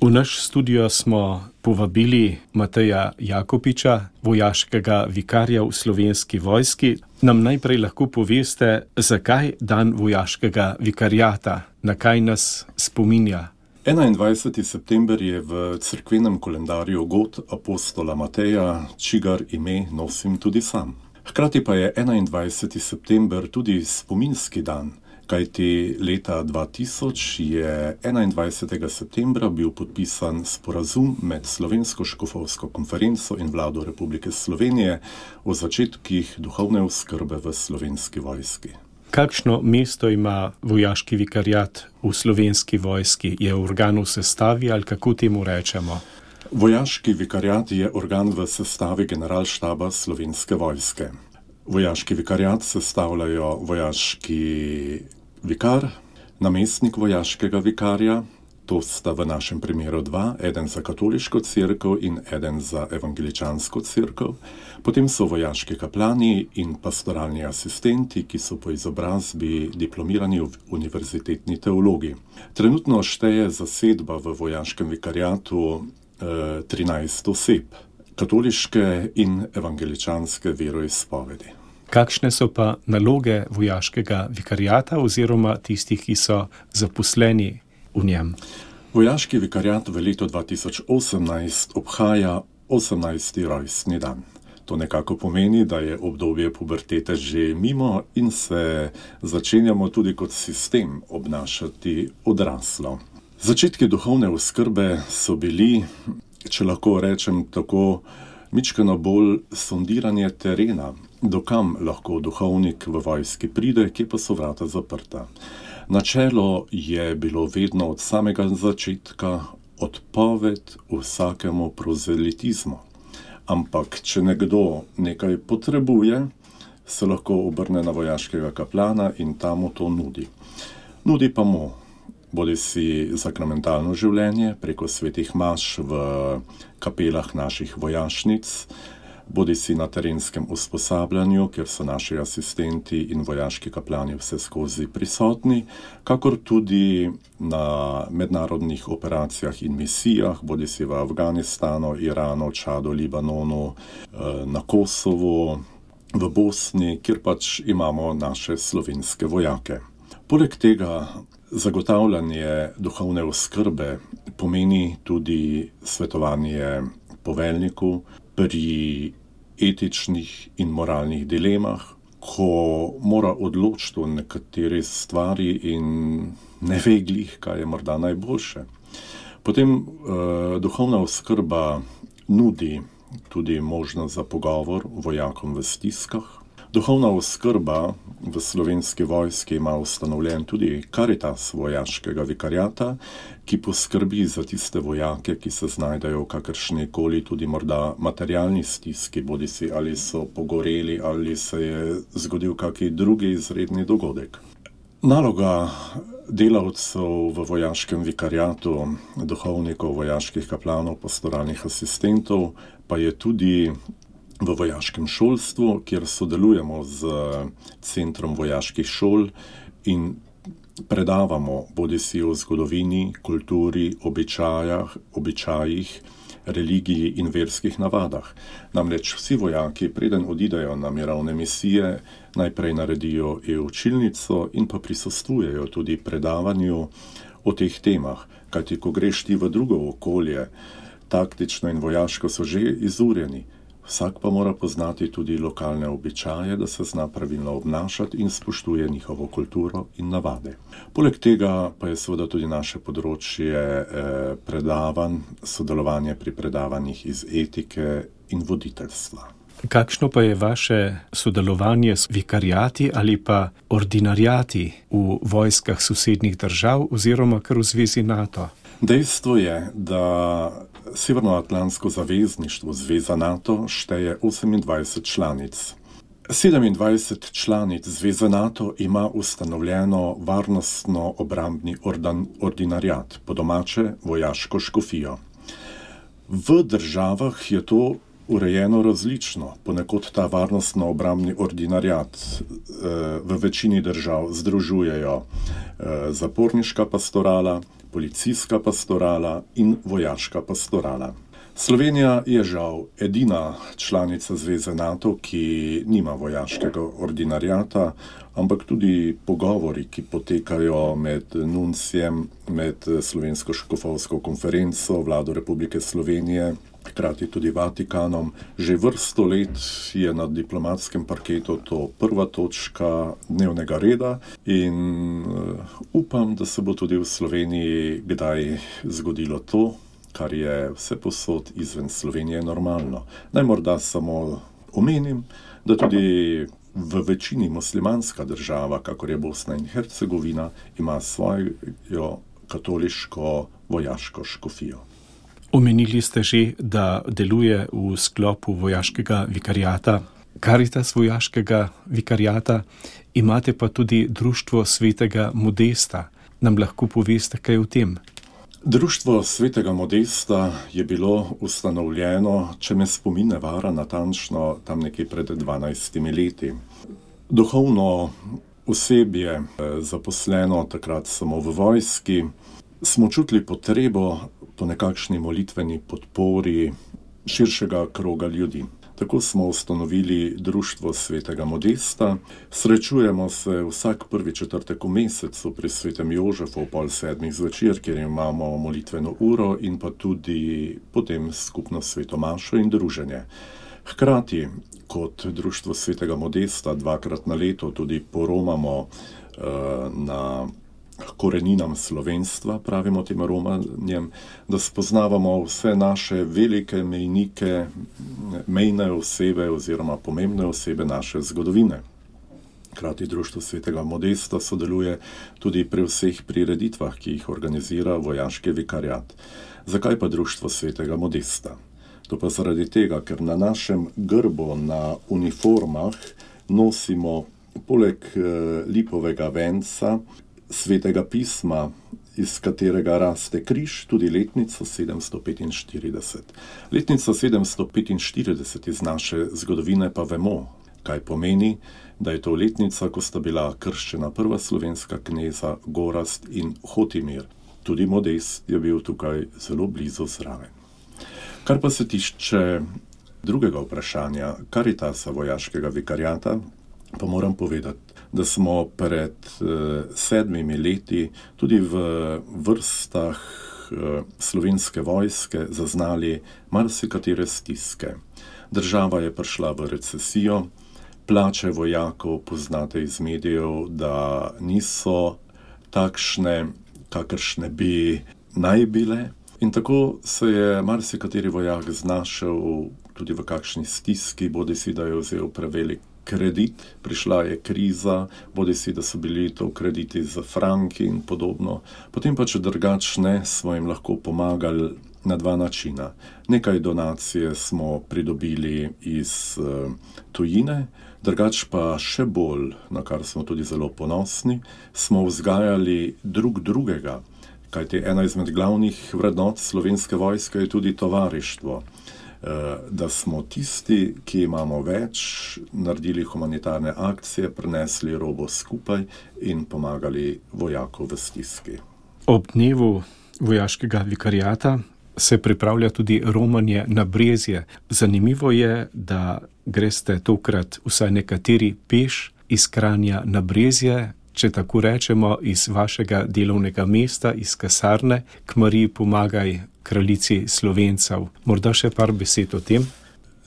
V naš studio smo povabili Mateja Jakopiča, vojaškega vikarja v Slovenski vojski. Nam najprej lahko poveste, zakaj dan vojaškega vikarjata, na kaj nas spominja? 21. september je v cerkvenem koledarju god apostola Mateja, čigar ime nosim tudi sam. Hkrati pa je 21. september tudi spominski dan, kajti leta 2000 je 21. septembra bil podpisan sporazum med Slovensko škofovsko konferenco in vlado Republike Slovenije o začetkih duhovne oskrbe v Slovenski vojski. Kakšno mesto ima vojaški vikarjat v Slovenski vojski? Je organ v sestavi ali kako temu rečemo? Vojaški vikarjat je organ v sestavi generalštaba Slovenske vojske. Vojaški vikarjat sestavljajo vojaški vikar, namestnik vojaškega vikarja, to sta v našem primeru dva, eden za katoliško cerkev in eden za evangeličansko cerkev. Potem so vojaški kaplani in pastoralni asistenti, ki so po izobrazbi diplomirani univerzitetni teologi. Trenutno šteje zasedba v vojaškem vikarjatu 13 oseb, katoliške in evangeličanske veroizpovedi. Kakšne so pa naloge vojaškega vikarjata oziroma tistih, ki so zaposleni v njem? Vojaški vikarjat v letu 2018 obhaja 18. rojstni dan. To nekako pomeni, da je obdobje pubertete že mimo in se začenjamo tudi kot sistem obnašati odraslo. Začetki duhovne oskrbe so bili, če lahko rečem tako, mičkeno bolj sondiranje terena, dokam lahko duhovnik v vojski pride, kje pa so vrata zaprta. Načelo je bilo vedno od samega začetka odpoved vsakemu prozelitizmu. Ampak, če nekdo nekaj potrebuje, se lahko obrne na vojaškega kaplana in ta mu to nudi. Nudi pa mu bodisi sakramentalno življenje preko svetih maš v kapelah naših vojašnic, bodisi na terenskem usposabljanju, kjer so naši asistenti in vojaški kaplani vseskozi prisotni, kakor tudi na mednarodnih operacijah in misijah, bodisi v Afganistanu, Iranu, Čadu, Libanonu, na Kosovu, v Bosni, kjer pač imamo naše slovenske vojake. Poleg tega zagotavljanje duhovne oskrbe pomeni tudi svetovanje poveljniku pri etičnih in moralnih dilemah, ko mora odločiti o nekateri stvari in ne ve glih, kaj je morda najboljše. Potem duhovna oskrba nudi tudi možnost za pogovor vojakom v stiskah. Duhovna oskrba v Slovenski vojski ima ustanovljen tudi Karitas vojaškega vikarjata, ki poskrbi za tiste vojake, ki se znajdejo v kakršnikoli tudi morda materialni stiski, bodisi ali so pogoreli ali se je zgodil kakšen drugi izredni dogodek. Naloga delavcev v vojaškem vikarjatu, duhovnikov, vojaških kaplanov, pastoralnih asistentov, pa je tudi v vojaškem šolstvu, kjer sodelujemo z Centrom vojaških šol in predavamo bodisi o zgodovini, kulturi, običajih, religiji in verskih navadah. Namreč vsi vojaki, preden odidejo na mirovne misije, najprej naredijo učilnico in pa prisostvujejo tudi predavanju o teh temah. Kajti, ko greš ti v drugo okolje, taktično in vojaško so že izurjeni. Vsak pa mora poznati tudi lokalne običaje, da se zna pravilno obnašati in spoštuje njihovo kulturo in navade. Poleg tega pa je seveda tudi naše področje predavanj, sodelovanje pri predavanjih iz etike in voditeljstva. Kakšno pa je vaše sodelovanje s vikarjati ali pa ordinarjati v vojskah sosednjih držav oziroma kar v zvezi NATO? Dejstvo je, da Severnoatlantsko zavezništvo, zveza NATO, šteje 28 članic. 27 članic zveze NATO ima ustanovljeno varnostno-obrambni ordinarjat, po domače vojaško škofijo. V državah je to urejeno različno. Ponekod ta varnostno-obrambni ordinariat v večini držav združujejo zaporniška pastorala, policijska pastorala in vojaška pastorala. Slovenija je žal edina članica Zveze NATO, ki nima vojaškega ordinariata, ampak tudi pogovori, ki potekajo med nuncijem, med Slovensko škofovsko konferenco, Vlado Republike Slovenije, hkrati tudi Vatikanom. Že vrsto let je na diplomatskem parketu to prva točka dnevnega reda in upam, da se bo tudi v Sloveniji kdaj zgodilo to, kar je vsepovsod izven Slovenije normalno. Naj morda samo omenim, da tudi v večini muslimanska država, kakor je Bosna in Hercegovina, ima svojo katoliško vojaško škofijo. Omenili ste že, da deluje v sklopu vojaškega vikariata, Karitas vojaškega vikariata, imate pa tudi Društvo svetega Modesta. Nam lahko poveste kaj o tem? Društvo svetega Modesta je bilo ustanovljeno, če me spomin ne vara, natančno tam nekje pred 12 leti. Duhovno osebje, zaposleno takrat samo v vojski, smo čutili potrebo po nekakšni molitveni podpori širšega kroga ljudi. Tako smo ustanovili Društvo svetega Modesta. Srečujemo se vsak prvi četrtek v mesecu pri svetem Jožefu ob 6:30 zvečer, kjer imamo molitveno uro in pa tudi potem skupno sveto mašo in druženje. Hkrati, kot Društvo svetega Modesta 2-krat na leto tudi poromamo na koreninam slovenstva, pravimo tem romanjem, da spoznavamo vse naše velike mejnike, mejne osebe oziroma pomembne osebe naše zgodovine. Hkrati Društvo svetega Modesta sodeluje tudi pri vseh prireditvah, ki jih organizira vojaški vikariat. Zakaj pa Društvo svetega Modesta? To pa zaradi tega, ker na našem grbu, na uniformah nosimo poleg lipovega venca, svetega pisma, iz katerega raste križ, tudi letnico 745. Letnica 745 iz naše zgodovine pa vemo, kaj pomeni, da je to letnica, ko sta bila krščena prva slovenska kneza Gorazd in Hotimir. Tudi Modest je bil tukaj zelo blizu zraven. Kar pa se tiče drugega vprašanja, Karitasa vojaškega vikariata, pa moram povedati, da smo pred 7 leti tudi v vrstah slovenske vojske zaznali marsikatere stiske. Država je prišla v recesijo, plače vojakov poznate iz medijev, da niso takšne, kakršne bi naj bile. In tako se je marsikateri vojak znašel tudi v kakšni stiski, bodisi da je vzel prevelik kredit, prišla je kriza, bodisi da so bili to krediti za franki in podobno. Potem pa, če drugačne, smo jim lahko pomagali na 2 načina. Nekaj donacije smo pridobili iz tujine, drugač pa še bolj, na kar smo tudi zelo ponosni, smo vzgajali drug drugega, kajti ena izmed glavnih vrednot slovenske vojske je tudi tovarištvo. Da smo tisti, ki imamo več, naredili humanitarne akcije, prinesli robo skupaj in pomagali vojaku v stiski. Ob dnevu vojaškega vikariata se pripravlja tudi romanje na Brezje. Zanimivo je, da greste tokrat vsaj nekateri peš iz Kranja na Brezje, če tako rečemo, iz vašega delovnega mesta, iz kasarne, k Mariji Pomagaj, kraljici Slovencev. Morda še par besed o tem?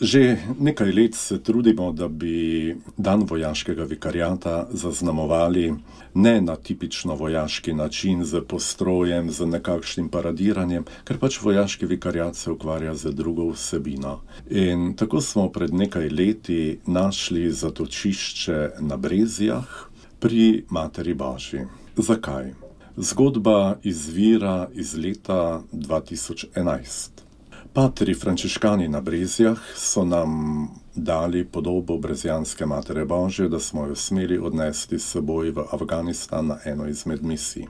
Že nekaj let se trudimo, da bi dan vojaškega vikariata zaznamovali ne na tipično vojaški način, z postrojem, z nekakšnim paradiranjem, ker pač vojaški vikariat se ukvarja z drugo vsebino. In tako smo pred nekaj leti našli zatočišče na Brezjah pri Materi Božji. Zakaj? Zgodba izvira iz leta 2011. Patri frančiškani na Brezjah so nam dali podobo brezijanske Matere Božje, da smo jo smeli odnesti s seboj v Afganistan na eno izmed misij.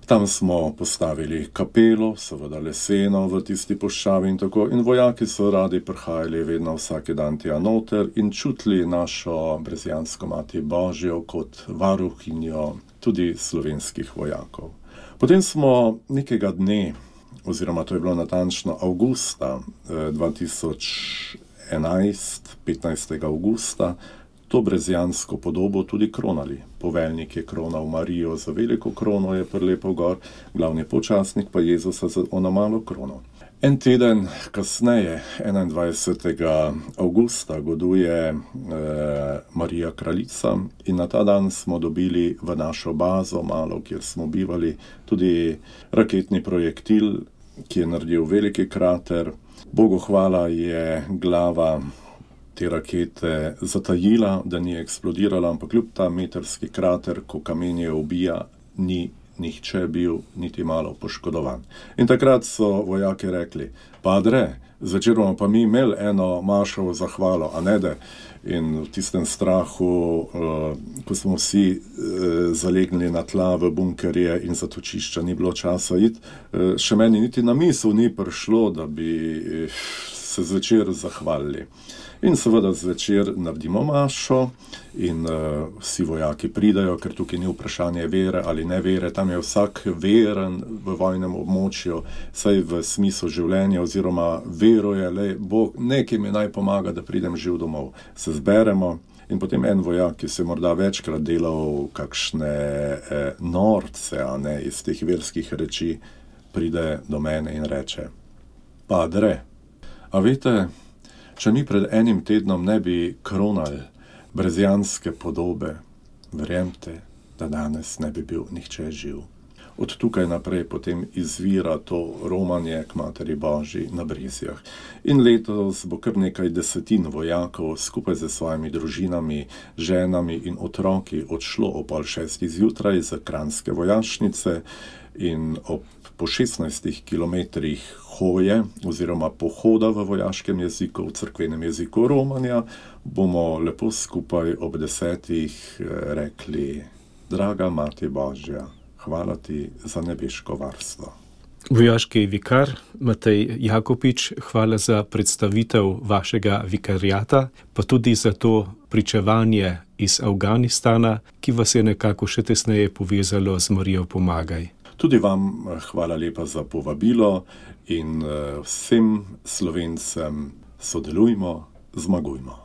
Tam smo postavili kapelo, seveda leseno v tisti puščavi in tako, in vojaki so radi prihajali vedno vsak dan tja noter in čutili našo Brezjansko Mati Božjo kot varuhinjo tudi slovenskih vojakov. Potem smo nekega dne, oziroma to je bilo natančno avgusta 2011, 15. avgusta, to brezjansko podobo tudi kronali. Poveljnik je kronal Marijo za veliko krono, je prilepil gor, glavni počasnik pa Jezusa za ono malo krono. En teden kasneje, 21. avgusta, goduje Marija Kraljica in na ta dan smo dobili v našo bazo, malo kjer smo bivali, tudi raketni projektil, ki je naredil veliki krater. Bogu hvala je glava te rakete zatajila, da ni eksplodirala, ampak kljub ta metrski krater, ko kamenje ubija, ni nihče bil niti malo poškodovan. In takrat so vojaki rekli, padre, zvečer bomo pa mi imeli eno mašovo zahvalo, a ne da? In v tistem strahu, ko smo vsi zalegnili na tla v bunkerje in zatočišča, ni bilo časa iti, še meni niti na misel ni prišlo, da bi se zvečer zahvalili. In seveda zvečer naredimo mašo in vsi vojaki pridajo, ker tukaj ni vprašanje vere ali ne vere, tam je vsak veren v vojnem območju, saj v smislu življenja oziroma veruje, le Bog, nekaj mi naj pomaga, da pridem živ domov. Se zberemo in potem en vojak, ki se morda večkrat delal kakšne norce, a ne, iz teh verskih reči, pride do mene in reče, padre, a veste, če mi pred enim tednom ne bi kronali brezjanske podobe, verjemte, da danes ne bi bil nihče živ. Od tukaj naprej potem izvira to romanje k Materi Božji na Brezjah. In letos bo kar nekaj desetin vojakov skupaj z svojimi družinami, ženami in otroki odšlo ob 5:30 zjutraj za Kranjske vojašnice in po 16 kilometrih hoje oziroma pohoda v vojaškem jeziku, v cerkvenem jeziku romanja, bomo lepo skupaj ob 10 rekli, draga Mati Božja, hvala ti za nebeško varstvo. Vojaški vikar Matej Jakopič, hvala za predstavitev vašega vikariata, pa tudi za to pričevanje iz Afganistana, ki vas je nekako še tesneje povezalo z Marijo Pomagaj. Tudi vam hvala lepa za povabilo in vsem Slovencem sodelujmo, zmagujmo.